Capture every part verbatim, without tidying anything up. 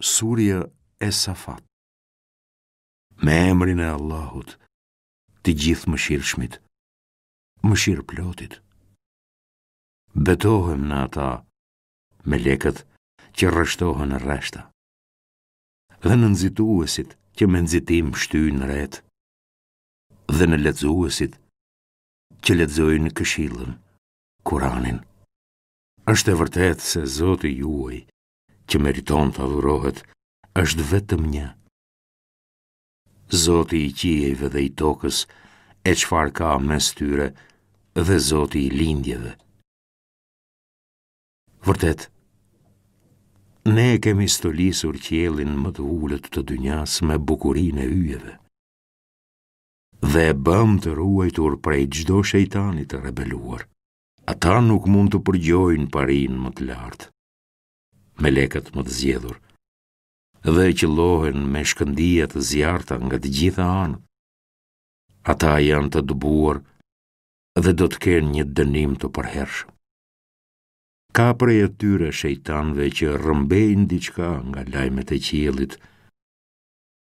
Surja e Safat. Me emrin e Allahut, të gjithë mëshirshmit, mëshirëplotit. Betohem në ata, melekët që rreshtohen në rreshta, dhe në nxituesit që me nxitim shtyjnë retë, dhe në lexuesit që lexojnë këshillën, Kuranin. Është e vërtetë se Zoti juaj, që meriton të adhurohet, është vetëm një. Zoti i qiejve dhe i tokës, e çfarë ka mes tyre, dhe Zoti i lindjeve. Vërtet, ne e kemi stolisur qiellin më të ulët të dynjas me bukurinë e yjeve. Dhe e bëmë të ruajtur prej çdo shejtani të rebeluar. Ata nuk mund të përgjojnë parinë më të lartë, melekët më të zgjedhur, dhe qëllohen me shkëndija të zjarrta nga të gjitha anët. Ata janë të dëbuar dhe do të kenë një dënim të përhershëm. Ka prej atyre shejtanëve që rrëmbejnë diçka nga lajmet e qiellit,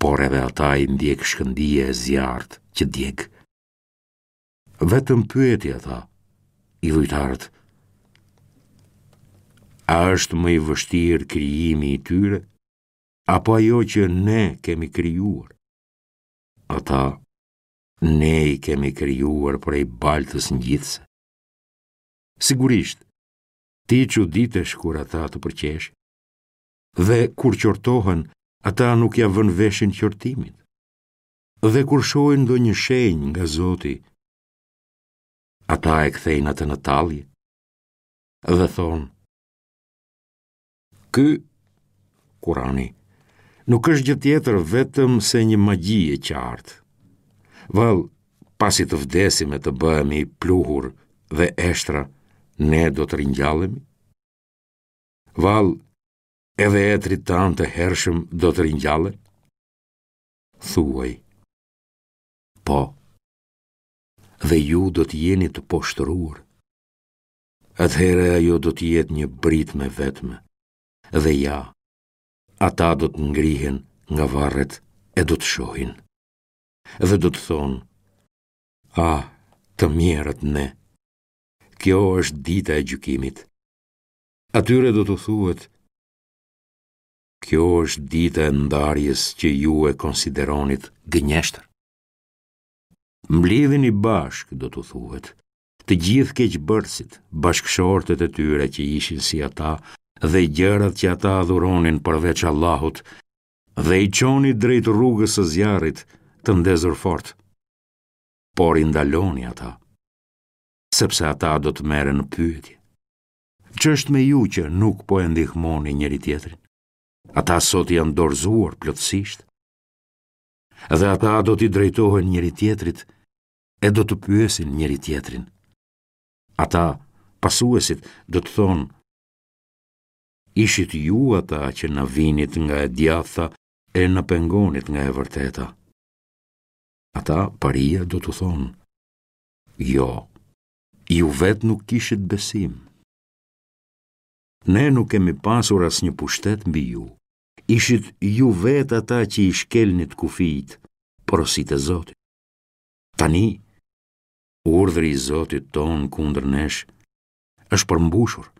por edhe ata i ndjek shkëndija e zjarrtë që djeg. Vetëm pyeti ata, idhujtarët, a është më i vështirë krijimi i tyre, apo ajo që ne kemi krijuar? Ata, ne i kemi krijuar prej baltës ngjitëse. Sigurisht, ti çuditesh kur ata të përqeshin, dhe kur qortohen, ata nuk ia vënë veshin qortimit. Dhe kur shohin ndonjë shenjë nga Zoti, ata e kthejnë atë në tallje dhe thonë: Ky Kurani nuk është gjë tjetër vetëm se një magji e qartë. Vallë, pasi të vdesim e të bëhemi pluhur dhe eshtra, ne do të ringjallemi? Vallë, edhe etërit tanë të hershëm do të ringjallen? Thuaj, po, dhe ju do të jeni të poshtëruar. Atëherë ajo do të jetë një britmë e vetme, dhe ja, ata do të ngrihen nga varret e do të shohin. Dhe do të thonë, ah, të mjerët ne, kjo është dita e gjykimit. Atyre do t'u thuhet, kjo është dita e ndarjes që ju e konsideronit gënjeshtër. Mblidhini bashkë, do t'u thuhet, të gjithë keqbërësit, bashkëshortët e tyre që ishin si ata dhe gjërat që ata adhuronin përveç Allahut, dhe i çoni drejt rrugës së zjarrit të ndezur fort. Por i ndaloni ata, sepse ata do të merren në pyetje. Ç'është me ju që nuk po e ndihmoni njëri tjetrin? Ata sot janë dorëzuar plotësisht. Dhe ata do t'i drejtohen njëri tjetrit e do të pyesin njëri tjetrin. Ata, pasuesit, do të thonë: Ishit ju ata që na vinit nga e djathta e na pengonit nga e vërteta. Ata, paria, do t'u thonë: Jo, ju vetë nuk kishit besim. Ne nuk kemi pasur asnjë pushtet mbi ju. Ishit ju vetë ata që i shkelnit kufijtë, porositë e Zotit. Tani, urdhri i Zotit tonë kundër nesh është përmbushur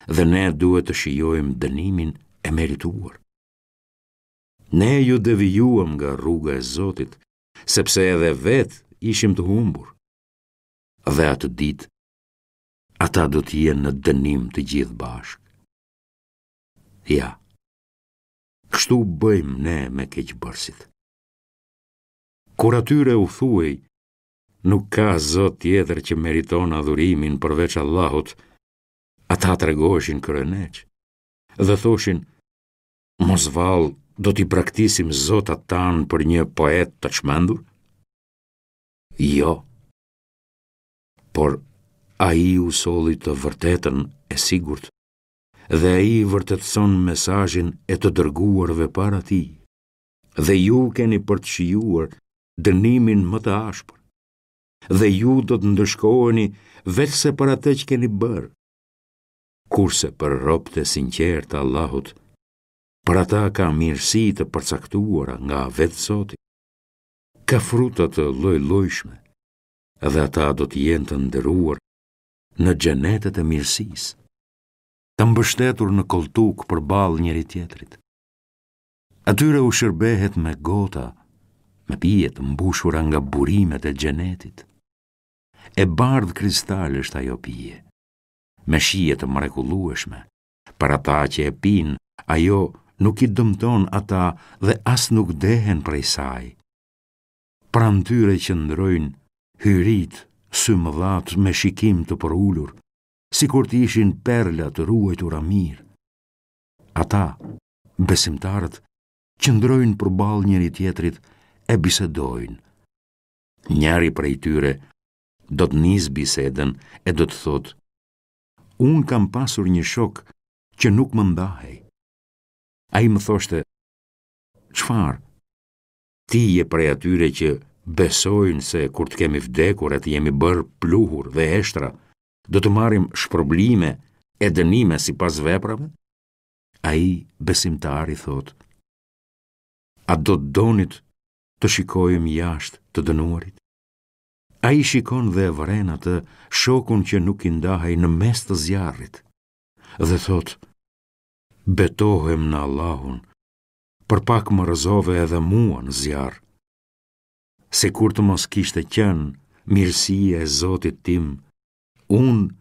dhe ne duhet të shijojmë dënimin e merituar. Ne ju devijuam nga rruga e Zotit, sepse edhe vetë ishim të humbur. Dhe atë ditë, ata do të jenë në dënim të gjithë bashkë. Ja, kështu bëjmë ne me keqbërësit. Kur atyre u thuhej, nuk ka Zot tjetër që meriton adhurimin përveç Allahut, ata tregoheshin kryeneç dhe thoshin, mos vallë do t'i braktisim zotat tanë për një poet të çmendur? Jo, por ai u solli të vërtetën e sigurt dhe ai vërtetëson mesazhin e të dërguarve para tij. Dhe ju keni për të shijuar dënimin më të ashpër. Dhe ju do të ndëshkoheni veçse për atë që keni bërë. Kurse për robët e sinqertë të Allahut, Për ata ka mirësi të përcaktuara nga vetë Zoti. Ka fruta të lloj-llojshme dhe ata do të jenë të nderuar në xhenetet e mirësisë, të mbështetur në kolltukë përballë njëri-tjetrit. Atyre u shërbehet me gota, me pije të mbushura nga burimet e xhenetit. E bardhë kristal është ajo pije, me shije të mrekullueshme. Për ata që e pinë, ajo nuk i dëmton ata dhe as nuk dehen prej saj. Pranë tyre qëndrojnë hyritë, symëdhatë me shikim të përulur, sikur të ishin perla të ruajtura mirë. Ata, besimtarët, qëndrojnë përballë njëri-tjetrit e bisedojnë. Njëri prej tyre do të nisë bisedën e do të thotë: Unë kam pasur një shok që nuk më ndahej. Ai më thoshte: Çfarë? Ti je prej atyre që besojnë se kur të kemi vdekur e të jemi bërë pluhur dhe eshtra, do të marrim shpërblime e dënime sipas veprave? Ai besimtari thotë: A do të donit të shikojmë jashtë të dënuarit? Ai shikon dhe e vëren atë shokun që nuk i ndahej në mes të zjarrit dhe thotë: Betohem në Allahun, për pak më rrëzove edhe mua në zjarr. Sikur të mos kishte qenë mirësia e Zotit tim, unë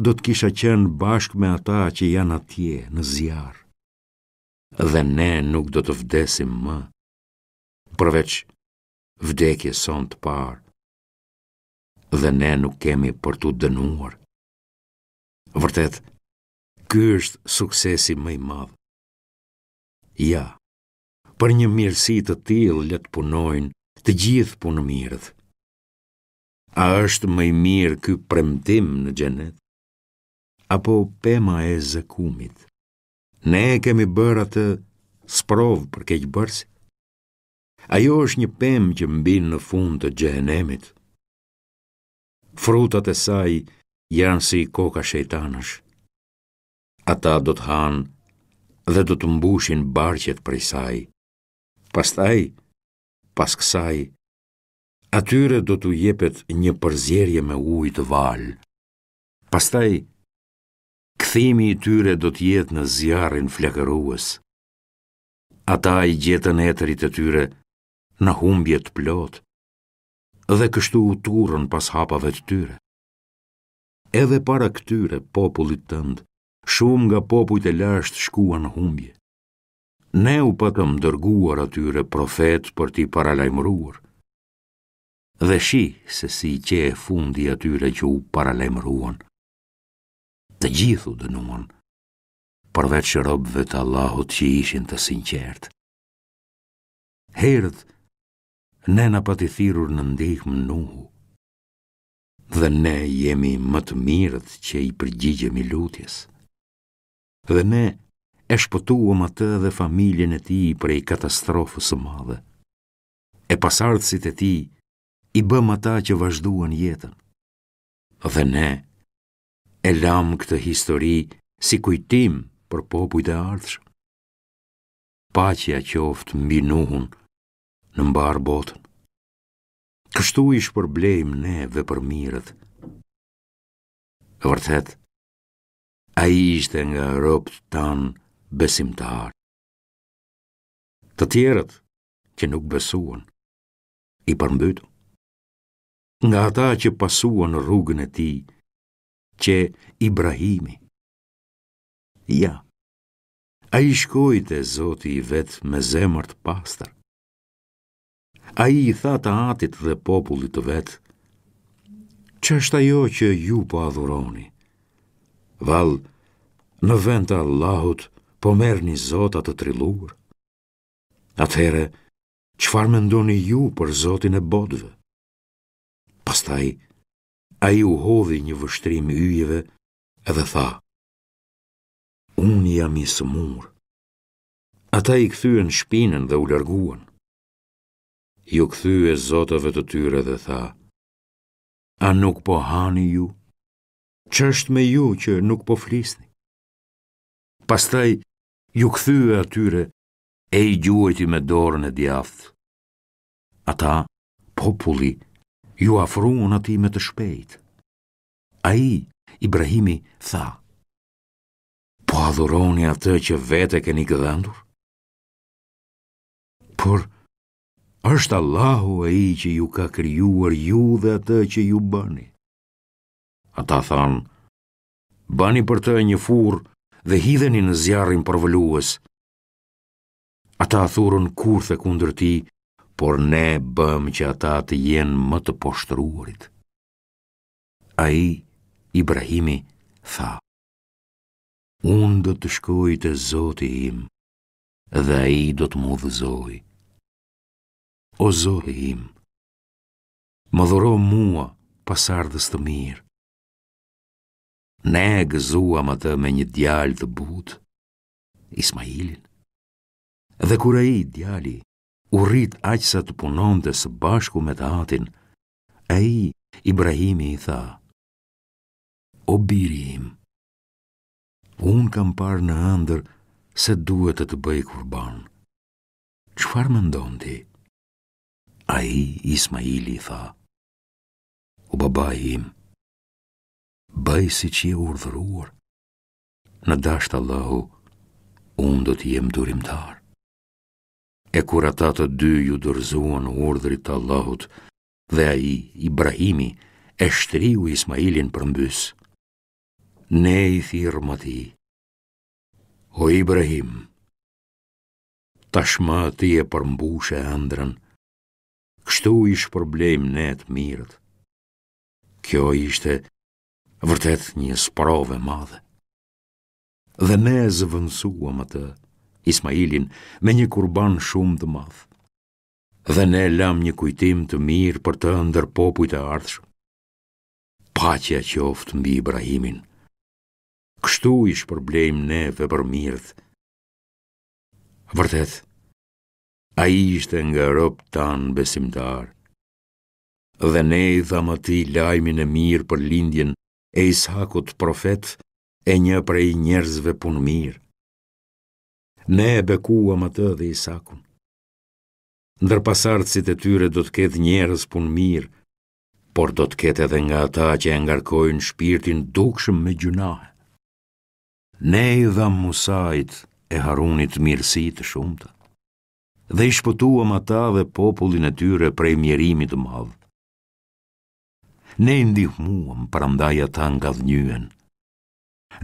do të kisha qenë bashkë me ata që janë atje në zjarr. Dhe ne nuk do të vdesim më, përveç vdekjes sonë të parë. Dhe ne nuk kemi për t'u dënuar. Vërtet, ky është suksesi më i madh. Ja, për një mirësi të tillë le të punojnë të gjithë punëmirët. A është më i mirë ky premtim në xhenet? Apo pema e zekumit? Ne e kemi bërë atë sprovë për keqbërësit. Ajo është një pemë që mbin në fund të xhehenemit. Frutat e saj janë si koka shejtanësh. Ata do të hanë dhe do të mbushin barqet prej saj. Pastaj, pas kësaj, atyre do t'u jepet një përzierje me ujë të valë. Pastaj, kthimi i tyre do të jetë në zjarrin flakërues. Ata i gjetën etërit e tyre në humbje të plotë dhe kështu u turrën pas hapave të tyre. Edhe para këtyre popullit tënd, shumë nga popujt e lashtë shkuan në humbje. Ne u patëm dërguar atyre profetë për t'i paralajmëruar. Dhe shih se si qe fundi i atyre që u paralajmëruan. Të gjithë u dënuan, përveç robëve të Allahut që ishin të sinqertë. Herët, ne na pati thirrur në ndihmë Nuhu, dhe ne jemi më të mirët që i përgjigjemi lutjes. Dhe ne e shpëtuam atë dhe familjen e tij prej katastrofës së madhe. E pasardhësit e tij i bëmë ata që vazhduan jetën. Dhe ne e lamë këtë histori si kujtim për popujt e ardhshëm. Paqja qoftë mbi Nuhun në mbarë botën. Kështu i shpërblejmë ne vepërmirët. Vërtet, ai ishte nga robët tanë besimtarë. Të tjerët që nuk besuan, i përmbytëm. Nga ata që pasuan rrugën e tij, qe Ibrahimi. Ja, ai shkoi te Zoti i vet me zemër të pastër. Ai i tha të atit dhe popullit të vet: Ç'është ajo që ju po adhuroni? Vallë, në vend të Allahut po merrni zota të trilluar? Atëherë, çfarë mendoni ju për Zotin e botëve? Pastaj, ai u hodhi një vështrim yjeve edhe tha: Unë jam i sëmurë. Ata i kthyen shpinën dhe u larguan. Iu kthye zotave të tyre dhe tha: A nuk po hani ju? Ç'është me ju që nuk po flisni? Pastaj Iu kthye atyre e i gjuajti me dorën e djathtë. Ata, populli, iu afruan atij me të shpejtë. Ai, Ibrahimi, tha: Po adhuroni atë që vetë e keni gdhendur? Por është Allahu ai që ju ka krijuar ju dhe atë që ju bëni. Ata thanë: Bëni për të një furrë dhe hidheni në zjarrin përvëlues. Ata thurën kurthe kundër tij, por ne bëmë që ata të jenë më të poshtëruarit. Ai, Ibrahimi, tha: Unë do të shkoj te Zoti im dhe ai do të më udhëzojë. O Zoti im, më dhuro mua pasardhës të mirë. Ne e gëzuam atë me një djalë të butë, Ismailin. Dhe kur ai, djali, u rrit aq sa të punonte së bashku me të atin, ai, Ibrahimi, i tha: O biri im, unë kam parë në ëndërr se duhet të të bëj kurban. Çfarë mendon ti? Ai, Ismaili, i tha: O babai im, bëj siç je urdhëruar. Në dashtë Allahu, unë do të jem durimtar. E kur ata të dy iu dorëzuan urdhrit të Allahut, dhe ai, Ibrahimi, e shtriu Ismailin përmbys, ne i thirrëm atij: O Ibrahim, tashmë ti e përmbushe ëndrrën, kështu i shpërblejmë ne të mirët. Kjo ishte vërtet një sprovë e madhe. Dhe ne e zëvendësuam atë, Ismailin, me një kurban shumë të madh. Dhe ne lamë një kujtim të mirë për të ndër popujt e ardhshëm. Paqja qoftë mbi Ibrahimin. Kështu i shpërblejmë ne vepërmirët. Vërtet, ai ishte nga robët tanë besimtarë. Dhe ne i dhamë atij lajmin e mirë për lindjen e Ishakut profet e një prej njerëzve punëmirë. Ne e bekuam atë dhe Isakun. Ndër pasardhësit e tyre do të ketë njerëz punëmirë, por do të ketë edhe nga ata që e ngarkojnë shpirtin dukshëm me gjynahe. Ne i dhamë Musait e Harunit mirësi të shumta dhe i shpëtuam ata dhe popullin e tyre prej mjerimit të madh. Ne i ndihmuam, prandaj ata ngadhënjyen.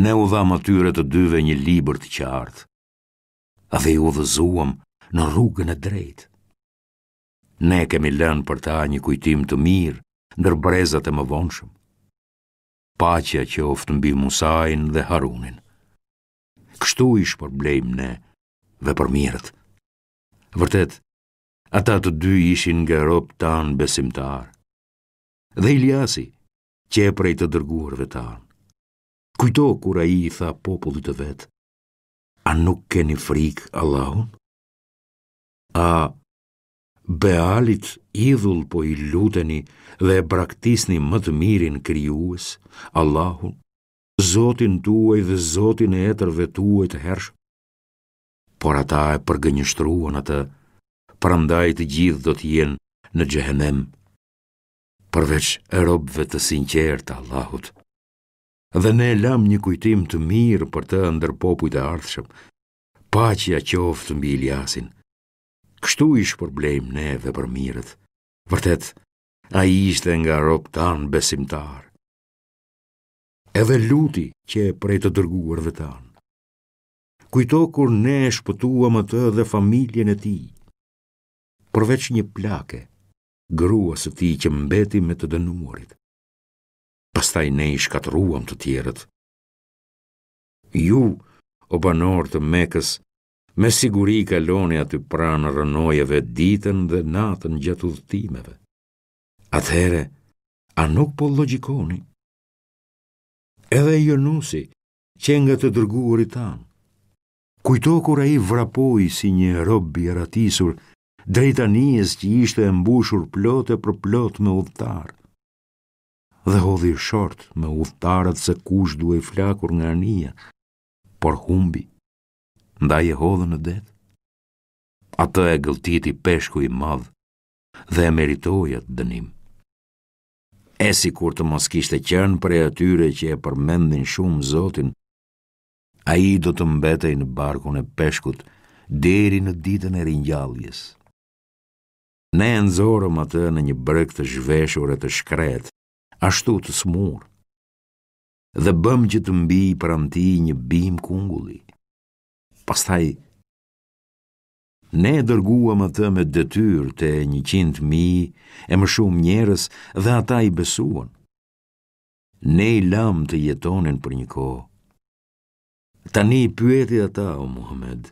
Ne u dhamë atyre të dyve një libër të qartë dhe i udhëzuam në rrugën e drejtë. Ne kemi lënë për ta një kujtim të mirë ndër brezat e mëvonshëm. Paqja qoftë mbi Musain dhe Harunin. Kështu i shpërblejmë ne vepërmirët. Vërtet, ata të dy ishin nga robët tanë besimtarë. Dhe Iliasi, qe prej të dërguarve tanë. Kujto kur ai i tha popullit të vet: A nuk keni frikë Allahun? A Bealit idhull po i luteni dhe e braktisni më të mirin krijues, Allahun, Zotin tuaj dhe Zotin e etërve tuaj të hershëm? Por ata e përgënjeshtruan atë, prandaj të gjithë do të jenë në xhehenem, përveç robëve të sinqertë të Allahut. Dhe ne lamë një kujtim të mirë për të ndër popujt e ardhshëm. Paqja qoftë mbi Iliasin. Kështu i shpërblejmë ne vepërmirët. Vërtet, ai ishte nga robët tanë besimtarë. Edhe Luti qe prej të dërguarve tanë. Kujto kur ne e shpëtuam atë dhe familjen e tij, përveç një plake, gruas së tij që mbeti me të dënuarit. Pastaj ne i shkatërruam të tjerët. Ju, o banorë të Mekës, me siguri kaloni aty pranë rrënojave ditën dhe natën gjatë udhëtimeve. Atëherë, a nuk po logjikoni? Edhe Jonusi, qe nga të dërguarit tanë. Kujto kur ai vrapoi si një rob i arratisur drejt anijes që ishte e mbushur plot e përplot me udhëtarë. Dhe hodhi short me udhëtarët se kush duhej flakur nga anija, por humbi. Ndaj e hodhën në det. Atë e gëlltiti peshku i madh dhe e meritoi atë dënim. E sikur të mos kishte qenë prej atyre që e përmendin shumë Zotin, ai do të mbetej në barkun e peshkut deri në ditën e ringjalljes. Ne e nxorëm atë në një breg të zhveshur e të shkretë, ashtu të sëmurë, dhe bëmë që të mbijë pranë tij një bimë kungulli. Pastaj, ne e dërguam atë me detyrë te njëqind mijë e më shumë njerëz dhe ata i besuan. Ne i lamë të jetonin për një kohë. Tani pyeti ata, o Muhamed,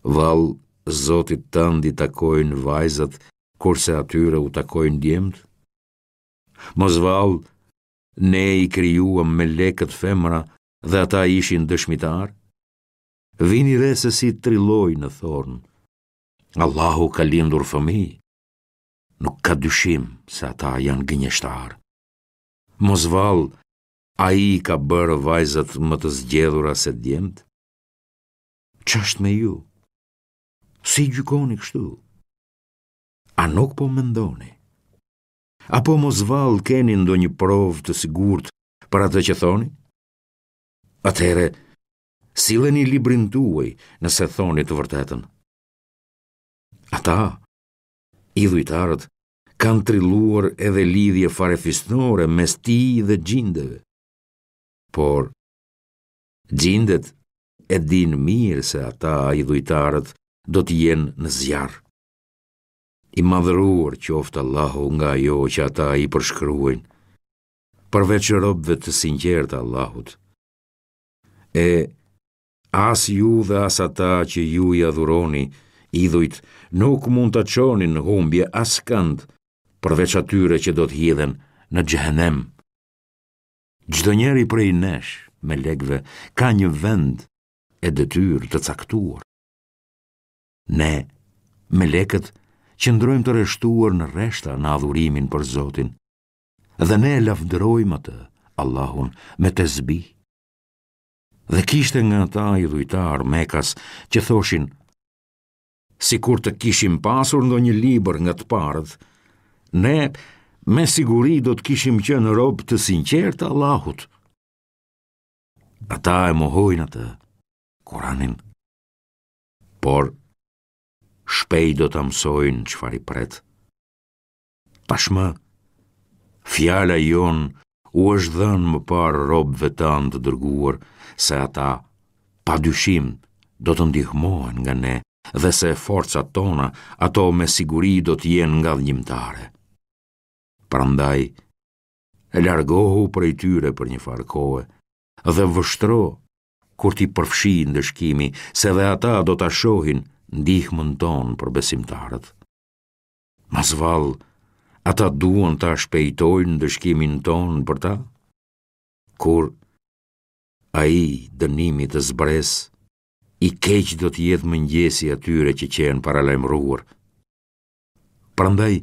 vallë Zotit tënd i takojnë vajzat, kurse atyre u takojnë djemtë? Mos vallë, ne i krijuam melekët femra dhe ata ishin dëshmitarë? Vini re se si trillojnë e thonë. Allahu ka lindur fëmijë. Nuk ka dyshim se ata janë gënjeshtarë. Mos vallë, ai i ka bërë vajzat më të zgjedhura se djemtë? Ç'është me ju? Si gjykoni kështu? A nuk po mendoni? Apo mos vallë keni ndonjë provë të sigurt për atë që thoni? Atëherë, silleni librin tuaj nëse thoni të vërtetën. Ata, idhujtarët, kanë trilluar edhe lidhje farefisnore mes tij dhe xhindeve. Por, xhindet e dinë mirë se ata idhujtarët do të jenë në zjarr. I madhëruar qoftë Allahu nga ajo që ata i përshkruajnë, përveç robëve të sinqertë të Allahut. E as ju dhe as ata që ju i adhuroni, idhujt, nuk mund ta çoni në humbje askënd, përveç atyre që do të hidhen në xhehenem. Çdo njeri prej nesh, melekëve, ka një vend e detyrë të caktuar. Ne, melekët, qëndrojmë të rreshtuar në rreshta në adhurimin për Zotin, dhe ne e lavdërojmë atë, Allahun, me tesbih. Dhe kishte nga ata idhujtarë mekas që thoshin, sikur të kishim pasur ndonjë libër nga të parët, ne me siguri do të kishim qenë robë të sinqertë të Allahut. Ata e mohojnë atë, Kuranin, por shpejt do ta mësojnë çfarë i pret. Tashmë, fjala jonë u është dhënë më parë robëve tanë të dërguar se ata, pa dyshim, do të ndihmohen nga ne dhe se forcat tona ato me siguri do të jenë ngadhënjimtare. Prandaj, largohu prej tyre për një farë kohe dhe vështro kur t'i përfshijë ndëshkimi, se dhe ata do ta shohin ndihmën tonë për besimtarët. Mos vallë, ata duan ta shpejtojnë ndëshkimin tonë për ta? Kur ai dënimi të zbresë, i keq do të jetë mëngjesi i atyre që qenë paralajmëruar. Prandaj,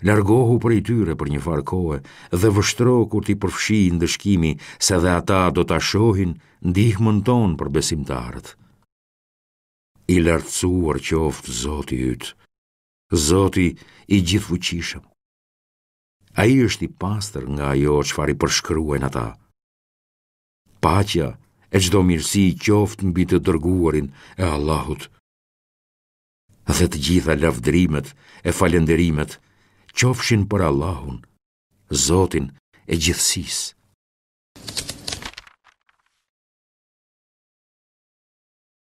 largohu prej tyre për një farë kohe dhe vështro kur t'i përfshijë ndëshkimi, se dhe ata do ta shohin ndihmën tonë për besimtarët. I lartësuar qoftë Zoti yt, Zoti i gjithëfuqishëm. Ai është i pastër nga ajo çfarë i përshkruajnë ata. Paqja e çdo mirësi qoftë mbi të dërguarin e Allahut. Dhe të gjitha lavdërimet e falënderimet qofshin për Allahun, Zotin e gjithësisë.